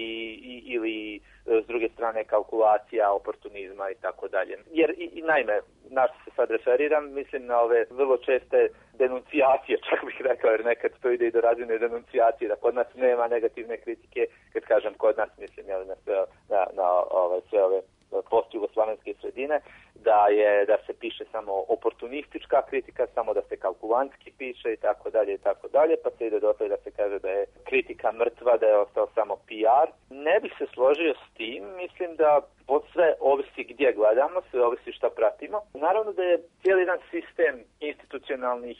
ili s druge strane kalkulacija, oportunizma i tako dalje. Jer i naime, na što se sad referiram, mislim na ove vrlo česte denuncijacije, čak bih rekao, jer nekad to ide i do razine denuncijacije, da kod nas nema negativne kritike, kad kažem kod nas, mislim na sve ove post-jugoslavenske sredine, da se piše samo oportunistička kritika, samo da se kalkulantski piše i tako dalje, pa se ide do toga da se kaže da je kritika mrtva, da je ostao samo PR. Ne bih se složio s tim, mislim da sve ovisi gdje gledamo, sve ovisi šta pratimo. Naravno da je cijeli jedan sistem institucionalnih,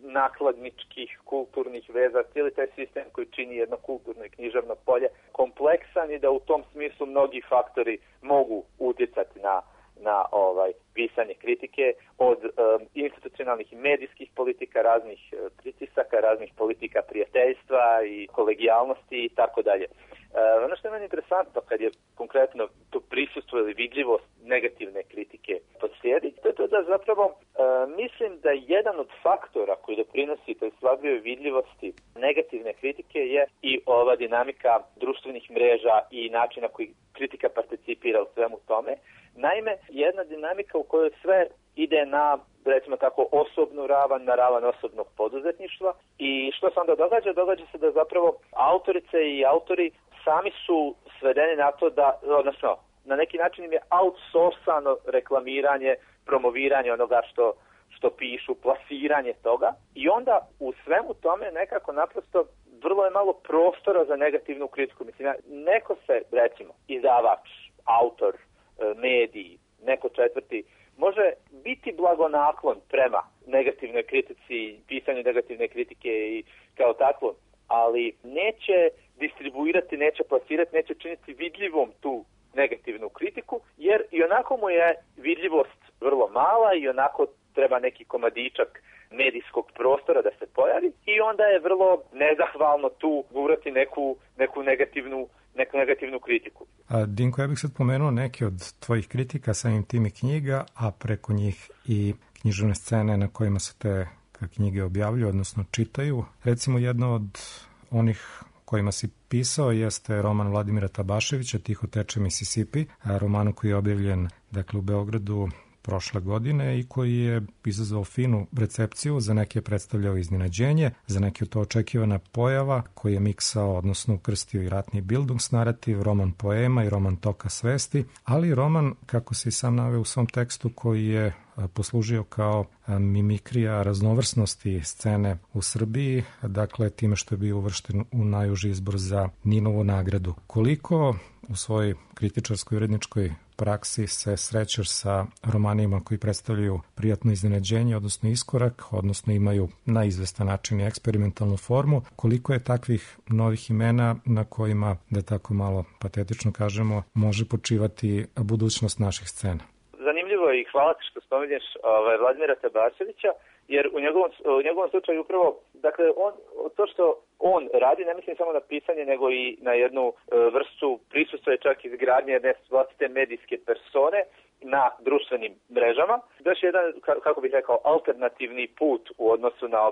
nakladničkih, kulturnih veza, cijeli taj sistem koji čini jedno kulturno i književno polje kompleksan i da u tom smislu mnogi faktori mogu utjecati na pisanje kritike, od institucionalnih i medijskih politika, raznih pritisaka, raznih politika prijateljstva i kolegijalnosti i tako dalje. Ono što je meni interesantno kad je konkretno to prisustvo ili vidljivost negativne kritike poslijedi, to je to da zapravo mislim da jedan od faktora koji doprinosi toj slabijoj vidljivosti negativne kritike je i ova dinamika društvenih mreža i načina koji kritika participira u svemu tome. Naime, jedna dinamika u kojoj sve ide na, recimo tako, osobnu ravan, na ravan osobnog poduzetništva i što se onda događa? Događa se da zapravo autorice i autori sami su svedeni na to da, odnosno, na neki način im je outsourcano reklamiranje, promoviranje onoga što pišu, plasiranje toga i onda u svemu tome nekako naprosto vrlo je malo prostora za negativnu kritiku. Mislim, neko se, recimo, izdavač, autor, mediji, neko četvrti, može biti blagonaklon prema negativnoj kritici, pisanju negativne kritike i kao takvo, ali neće distribuirati, neće plasirati, neće činiti vidljivom tu negativnu kritiku, jer i onako mu je vidljivost vrlo mala i onako treba neki komadičak medijskog prostora da se pojavi i onda je vrlo nezahvalno tu gurati neku negativnu kritiku. Dinko, ja bih sad pomenuo neke od tvojih kritika, samim tim i knjiga, a preko njih i književne scene na kojima se te knjige objavljuju, odnosno čitaju. Recimo, jedno od onih kojima si pisao jeste roman Vladimira Tabaševića Tiho teče Mississippi, romanu koji je objavljen u Beogradu prošle godine i koji je izazvao finu recepciju, za neke je predstavljao iznenađenje, za neke je to očekivana pojava koji je miksao, odnosno ukrstio i ratni Bildungsnarativ, roman poema i roman toka svesti, ali i roman, kako se i sam naveo u svom tekstu, koji je poslužio kao mimikrija raznovrsnosti scene u Srbiji, dakle time što je bio uvršten u najuži izbor za Ninovu nagradu. Koliko u svojoj kritičarskoj uredničkoj praksi se srećeš sa romanima koji predstavljaju prijatno iznenađenje, odnosno iskorak, odnosno imaju na izvestan način i eksperimentalnu formu, koliko je takvih novih imena na kojima, da tako malo patetično kažemo, može počivati budućnost naših scena? Zanimljivo je i hvala ti što spominješ Vladimira Tabaševića, jer u njegovom slučaju upravo, dakle, to što on radi, ne mislim samo na pisanje, nego i na jednu vrstu prisustva i čak izgradnje jedne vlastite medijske persone na društvenim mrežama. Još jedan, kako bih rekao, alternativni put u odnosu na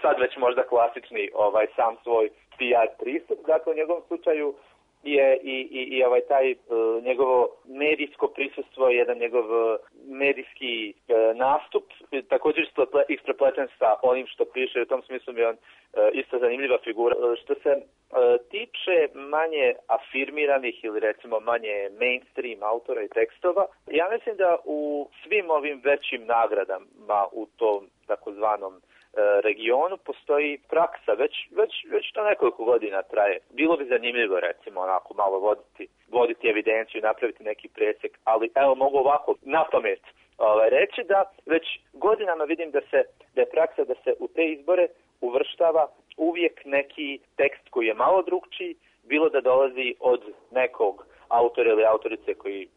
sad već možda klasični sam svoj PR pristup. Dakle, u njegovom slučaju je i taj njegovo medijsko prisustvo, jedan njegov medijski nastup, također isprepleten sa onim što piše, u tom smislu mi je on isto zanimljiva figura. Što se tiče manje afirmiranih ili recimo manje mainstream autora i tekstova, ja mislim da u svim ovim većim nagradama u tom takozvanom regionu postoji praksa, već to nekoliko godina traje. Bilo bi zanimljivo recimo onako malo voditi evidenciju, napraviti neki presjek, ali evo mogu ovako na pamet reći da već godinama vidim da je praksa da se u te izbore uvrštava uvijek neki tekst koji je malo drugčiji, bilo da dolazi od nekog autora ili autorice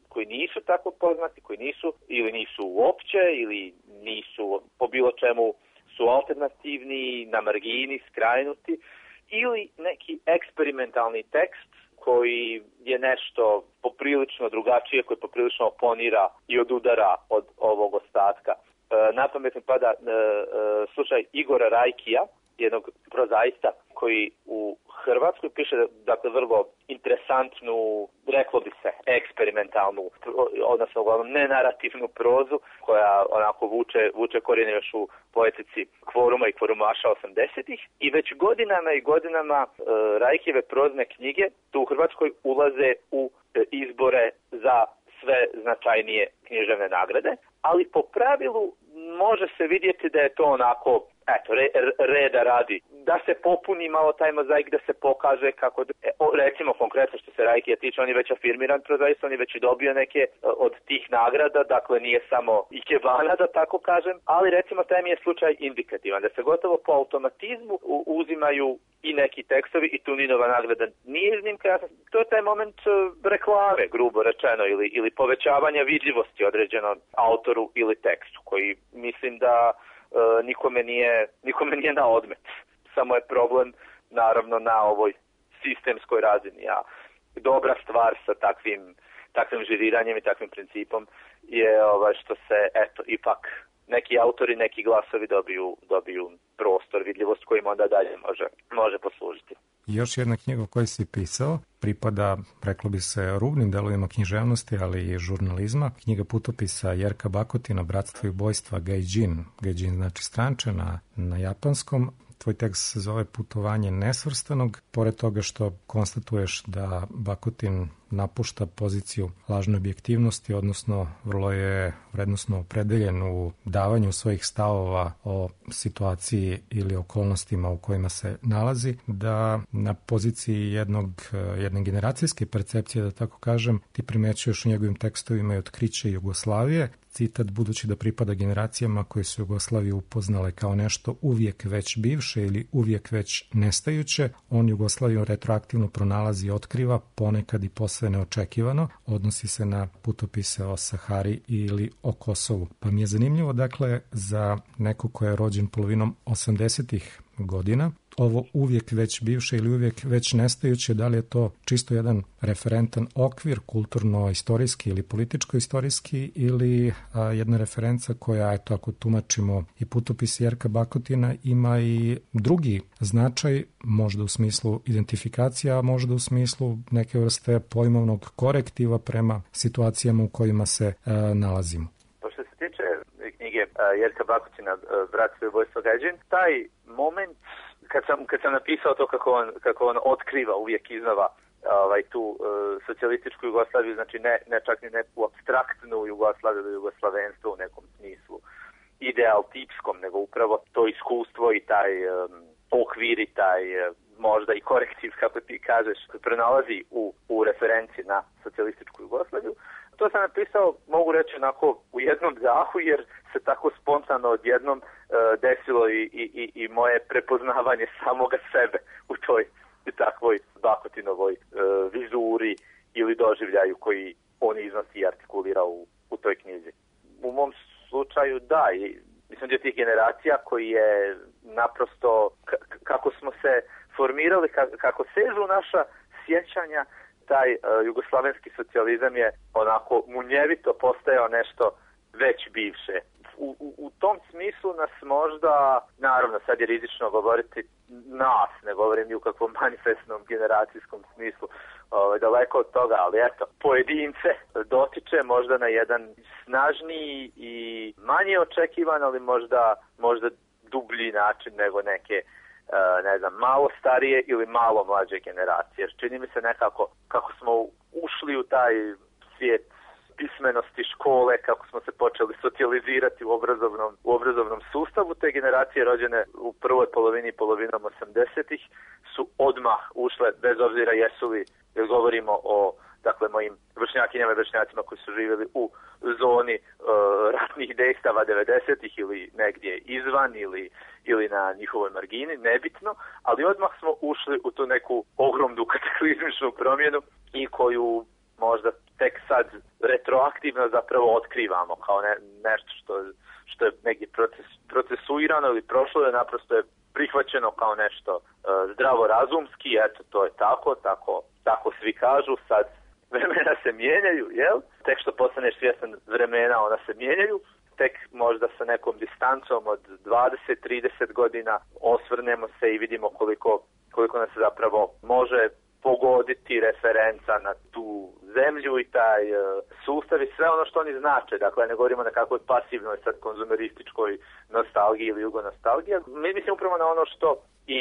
koji nisu tako poznati, koji nisu ili nisu uopće ili nisu po bilo čemu su alternativni, na margini, skrajnuti, ili neki eksperimentalni tekst koji je nešto poprilično drugačije, koji poprilično oponira i odudara od ovog ostatka. Na pamet mi pada slučaj Igora Rajkija, jednog prozaista koji u Hrvatskoj piše, dakle, vrlo interesantnu, reklo bi se, eksperimentalnu, odnosno uglavnom nenarativnu prozu, koja onako vuče korijene još u poetici Kvoruma i Kvorumaša 80-ih. I već godinama i godinama Rajkijeve prozne knjige tu u Hrvatskoj ulaze u izbore za sve značajnije književne nagrade, ali po pravilu može se vidjeti da je to onako, reda radi, da se popuni malo taj mozaik, da se pokaže kako, recimo konkretno što se Rajkija tiče, on je već afirmiran prozaist, on je već i dobio neke od tih nagrada, dakle nije samo ikebana, da tako kažem, ali recimo taj mi je slučaj indikativan, da se gotovo po automatizmu uzimaju i neki tekstovi i Tuninova nagrada nije iznimka. To je taj moment reklame, grubo rečeno, ili povećavanja vidljivosti određenom autoru ili tekstu, koji mislim da nikome nije na odmet. Samo je problem naravno na ovoj sistemskoj razini. A dobra stvar sa takvim žiriranjem i takvim principom je što se ipak neki autori, neki glasovi dobiju prostor, vidljivost kojim onda dalje može poslužiti. Još jedna knjiga o kojoj si pisao pripada, reklo bi se, rubnim delovima književnosti, ali i žurnalizma. Knjiga putopisa Jerka Bakotina, Bratstvo i ubojstva Gaijin. Gaijin znači stranče na japanskom. Tvoj tekst se zove Putovanje nesvrstanog. Pored toga što konstatuješ da Bakutin napušta poziciju lažne objektivnosti, odnosno vrlo je vrednosno opredeljen u davanju svojih stavova o situaciji ili okolnostima u kojima se nalazi, da na poziciji jedne generacijske percepcije, da tako kažem, ti primećuješ u njegovim tekstovima i otkriće Jugoslavije, citat, budući da pripada generacijama koje su Jugoslaviju upoznale kao nešto uvijek već bivše ili uvijek već nestajuće, on Jugoslaviju retroaktivno pronalazi i otkriva, ponekad i posve neočekivano, odnosi se na putopise o Sahari ili o Kosovu. Pa mi je zanimljivo, dakle, za neko ko je rođen polovinom 80-ih godina, ovo uvijek već bivše ili uvijek već nestajuće, da li je to čisto jedan referentan okvir, kulturno-istorijski ili političko-istorijski, ili jedna referenca koja, eto, ako tumačimo i putopis Jerka Bakotina, ima i drugi značaj, možda u smislu identifikacija, a možda u smislu neke vrste pojmovnog korektiva prema situacijama u kojima se nalazimo. Što se tiče knjige Jerka Bakotina, Bratstvo i ubojstvo Gaijin, taj moment kad sam napisao to kako on otkriva uvijek iznova tu socijalističku Jugoslaviju, znači ne čak ni neku apstraktnu Jugoslaviju ili jugoslavenstvo u nekom smislu ideal tipskom, nego upravo to iskustvo i taj okvir i taj možda i korektiv, kako ti kažeš, pronalazi u referenciji na socijalističku Jugoslaviju. To sam napisao, mogu reći, onako u jednom dahu, jer se tako spontano odjednom desilo i moje prepoznavanje samoga sebe u toj takvoj Bakotinovoj vizuri ili doživljaju koji on iznosi i artikulira u toj knjizi. U mom slučaju da, i mislim da je tih generacija koji je naprosto, kako smo se formirali, kako sežu naša sjećanja, taj jugoslavenski socijalizam je onako munjevito postajao nešto već bivše. U tom smislu nas možda, naravno sad je rizično govoriti nas, ne govorim ni u kakvom manifestnom generacijskom smislu, daleko od toga, ali eto, pojedince dotiče možda na jedan snažniji i manje očekivan, ali možda dublji način nego neke malo starije ili malo mlađe generacije. Jer čini mi se nekako kako smo ušli u taj svijet pismenosti škole, kako smo se počeli socijalizirati u obrazovnom sustavu, te generacije rođene u prvoj polovinom 80-ih su odmah ušle, bez obzira jesu li, jer govorimo o mojim vršnjakinjama i vršnjacima koji su živjeli u zoni ratnih dejstava 90-ih ili negdje izvan ili na njihovoj margini, nebitno, ali odmah smo ušli u tu neku ogromnu kataklizmičnu promjenu i koju možda tek sad retroaktivno zapravo otkrivamo kao nešto što je negdje procesuirano ili prošlo, je naprosto je prihvaćeno kao nešto zdravorazumski, eto to je tako tako svi kažu, sad vremena se mijenjaju, jel? Tek što postaneš svjestan vremena, ona se mijenjaju, tek možda sa nekom distancom od 20-30 godina osvrnemo se i vidimo koliko nas zapravo može pogoditi referenca na tu zemlju i taj sustav i sve ono što oni znače. Dakle, ne govorimo na kakvoj pasivnoj, sad konzumerističkoj nostalgiji ili jugonostalgiji. Mi mislim upravo na ono što i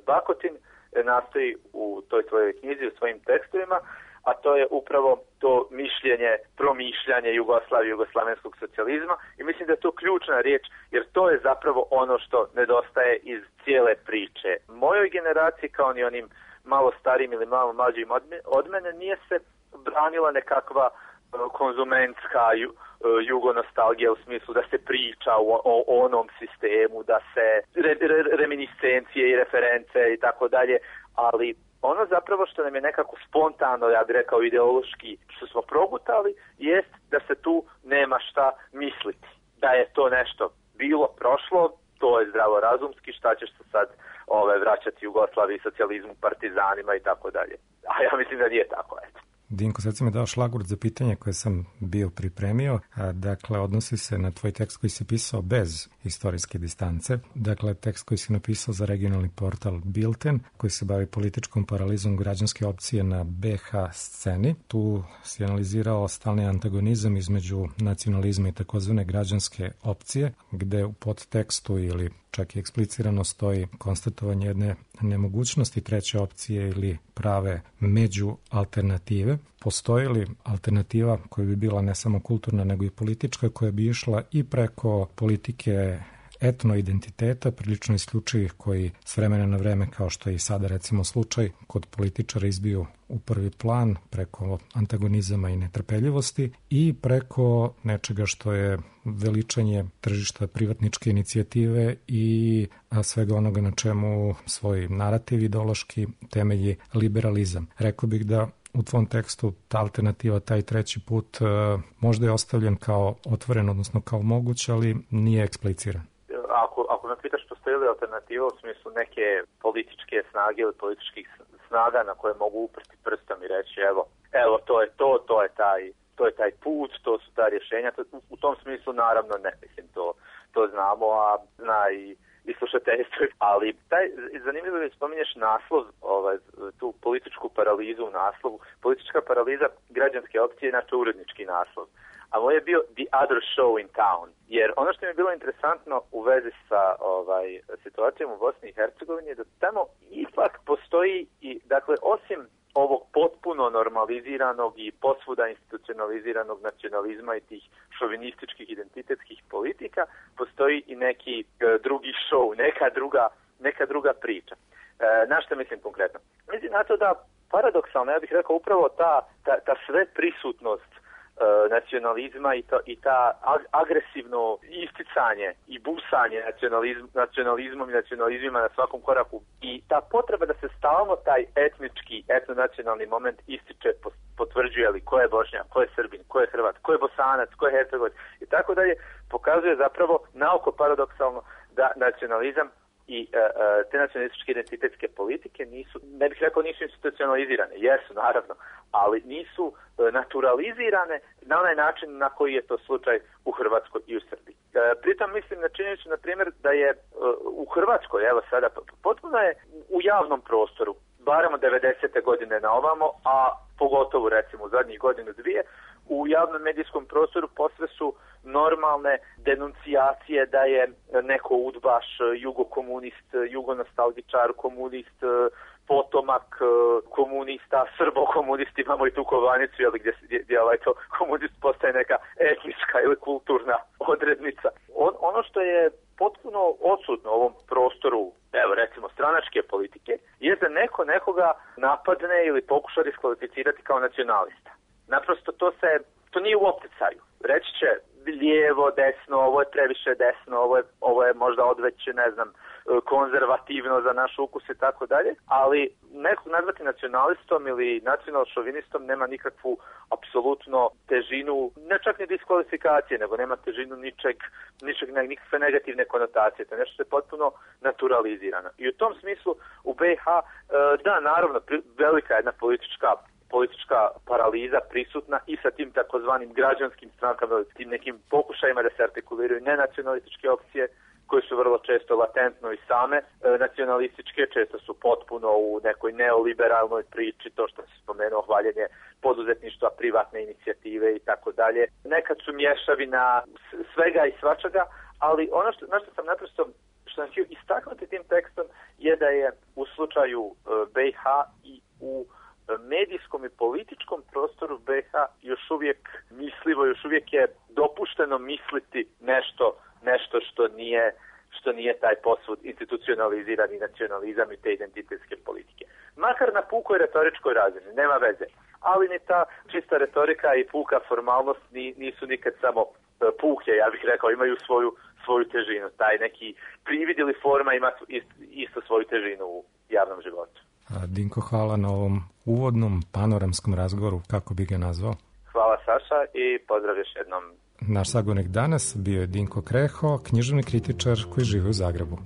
Bakotin nastoji u toj svojoj knjizi, u svojim tekstovima, a to je upravo to promišljanje Jugoslavije, jugoslavenskog socijalizma i mislim da je to ključna riječ, jer to je zapravo ono što nedostaje iz cijele priče. Mojoj generaciji, kao ni onim malo starijim ili malo mlađim od mene, nije se branila nekakva konzumentska jugonostalgija u smislu da se priča o onom sistemu, da se reminiscencije i reference i tako dalje, ali ono zapravo što nam je nekako spontano, ja bih rekao ideološki, što smo progutali, jest da se tu nema šta misliti. Da je to nešto bilo, prošlo, to je zdravorazumski, šta ćeš se sad vraćati Jugoslaviji, socijalizmu, partizanima i tako dalje. A ja mislim da nije tako, eto. Dinko, sad si me dao šlagvort za pitanje koje sam bio pripremio. Dakle, odnosi se na tvoj tekst koji si pisao bez istorijske distance. Dakle, tekst koji si napisao za regionalni portal Bilten, koji se bavi političkom paralizom građanske opcije na BH sceni. Tu si analizirao stalni antagonizam između nacionalizma i takozvane građanske opcije, gde u podtekstu ili čak i eksplicirano stoji konstatovanje jedne nemogućnosti treće opcije ili prave među alternative. Postoji li alternativa koja bi bila ne samo kulturna nego i politička, koja bi išla i preko politike etnoidentiteta, prilično isključivih, koji s vremena na vreme, kao što je i sada recimo slučaj, kod političara izbiju u prvi plan preko antagonizama i netrpeljivosti i preko nečega što je veličanje tržišta privatničke inicijative i svega onoga na čemu svoj narativ ideološki temelji liberalizam. Rekao bih da u tvom tekstu ta alternativa, taj treći put, možda je ostavljen kao otvoren, odnosno kao moguć, ali nije ekspliciran. Ako me pitaš postoji li alternativa u smislu neke političke snage ili političkih snaga na koje mogu uprti prstom i reći evo to je taj put, to su ta rješenja, u tom smislu naravno ne, mislim to znamo, a zna i slušateljstvo, ali zanimljivo je spominješ naslov, tu političku paralizu u naslovu. Politička paraliza građanske opcije je inače urednički naslov. A moj je bio The Other Show in Town, jer ono što mi je bilo interesantno u vezi sa situacijom u Bosni i Hercegovini je da tamo ipak postoji i, dakle, osim ovog potpuno normaliziranog i posvuda institucionaliziranog nacionalizma i tih šovinističkih identitetskih politika, postoji i neki drugi show, neka druga priča. Na što mislim konkretno? Mislim na to da paradoksalno, ja bih rekao, upravo ta sve prisutnost nacionalizma i ta agresivno isticanje i busanje nacionalizmom i nacionalizmima na svakom koraku i ta potreba da se stalno taj etnonacionalni moment ističe, potvrđuje li ko je Bošnjak, ko je Srbin, ko je Hrvat, ko je Bosanac, ko je Hercegovac i tako dalje, pokazuje zapravo naoko paradoksalno da nacionalizam i te nacionalističke identitetske politike nisu, ne bih rekao nisu institucionalizirane, jesu naravno, ali nisu naturalizirane na onaj način na koji je to slučaj u Hrvatskoj i u Srbiji. Pritom mislim na činjenicu, na primjer, da je u Hrvatskoj, evo sada, potpuno je u javnom prostoru, barem od 90. godine na ovamo, a pogotovo recimo u zadnjih godinu dvije, u javnom medijskom prostoru posve su normalne denuncijacije da je neko udbaš, jugokomunist, jugonostalgičar, komunist, potomak komunista, srbokomunist, imamo i tu kovanicu, gdje to komunist postaje neka etnička ili kulturna odrednica. Ono što je potpuno odsutno u ovom prostoru, evo recimo stranačke politike, je da neko nekoga napadne ili pokuša diskvalificirati kao nacionalista. Naprosto to nije u opticaju. Reći će, lijevo, desno, ovo je previše desno, ovo je možda odveće, ne znam, konzervativno za naš ukus i tako dalje, ali nekog nazvati nacionalistom ili nacional-šovinistom nema nikakvu apsolutno težinu, ne čak ni diskvalifikacije, nego nema težinu nikakve negativne konotacije. To je nešto što je potpuno naturalizirano. I u tom smislu u BiH, da, naravno, velika jedna politička paraliza prisutna i sa tim takozvanim građanskim strankama, tim nekim pokušajima da se artikuliraju nenacionalističke opcije, koje su vrlo često latentno i same nacionalističke, često su potpuno u nekoj neoliberalnoj priči, to što se spomenuo, hvaljenje poduzetništva, privatne inicijative i tako dalje. Nekad su mješavina svega i svačega, ali ono na što sam naprosto sam htio istaknuti tim tekstom je da je u slučaju BiH i u medijskom i političkom prostoru BiH još uvijek mislivo, još uvijek je dopušteno misliti nešto što nije taj posvud institucionalizirani nacionalizam i te identitetske politike. Makar na pukoj retoričkoj razini, nema veze. Ali ni ta čista retorika i puka formalnost nisu nikad samo puke, ja bih rekao, imaju svoju težinu. Taj neki privid ili forma ima isto svoju težinu u javnom životu. Dinko, hvala na ovom uvodnom panoramskom razgovoru, kako bi ga nazvao. Hvala Saša i pozdrav još jednom. Naš sagovornik danas bio je Dinko Kreho, književni kritičar koji živi u Zagrebu.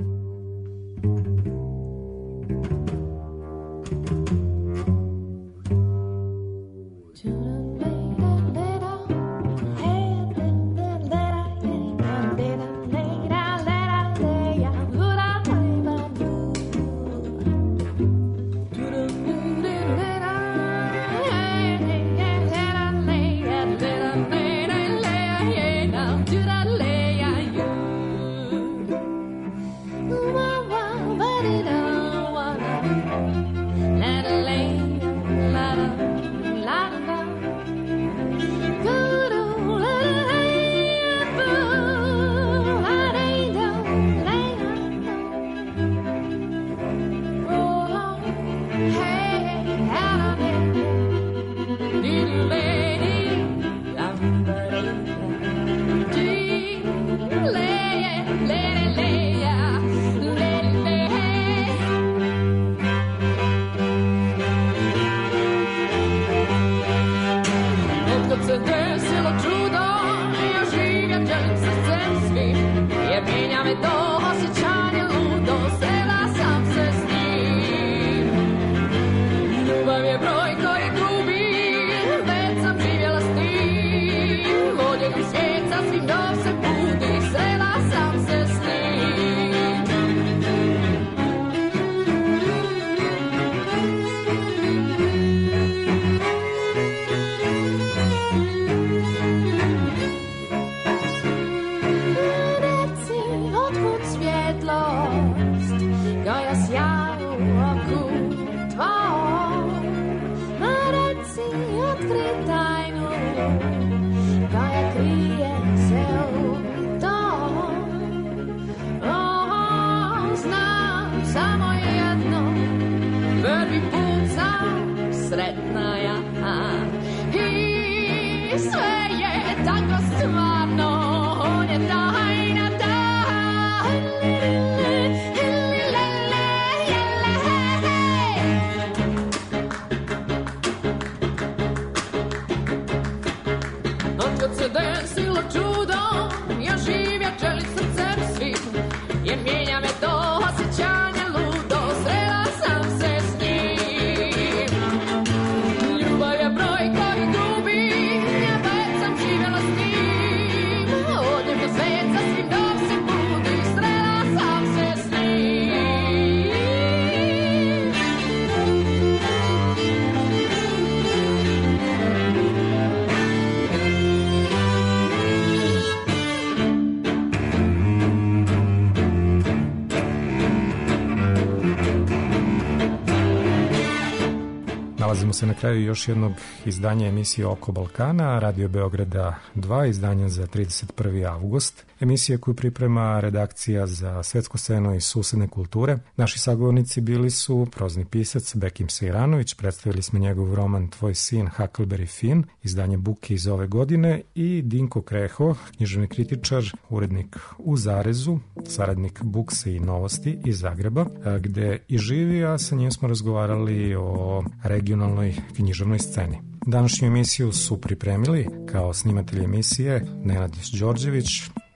Nalazimo se na kraju još jednog izdanja emisije Oko Balkana, Radio Beograda 2, izdanja za 31. avgust. emisija koju priprema redakcija za svetsku scenu i susedne kulture. Naši sagovornici bili su prozni pisac Bekim Sejranović, predstavili smo njegov roman Tvoj sin Huckleberry Finn, izdanje Buke iz ove godine, i Dinko Kreho, književni kritičar, urednik u Zarezu, saradnik Bukse i Novosti iz Zagreba, gde i živi, a sa njim smo razgovarali o regionalnoj književnoj sceni. Današnju emisiju su pripremili kao snimatelj emisije Nenad Đorđević,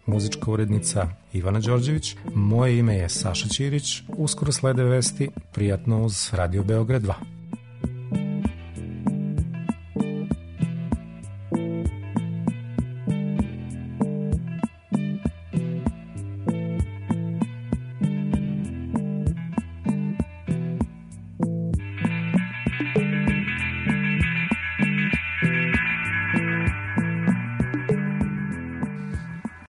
muzička urednica Ivana Đorđević. Moje ime je Saša Ćirić. Uskoro slede vesti, prijatno uz Radio Beograd 2.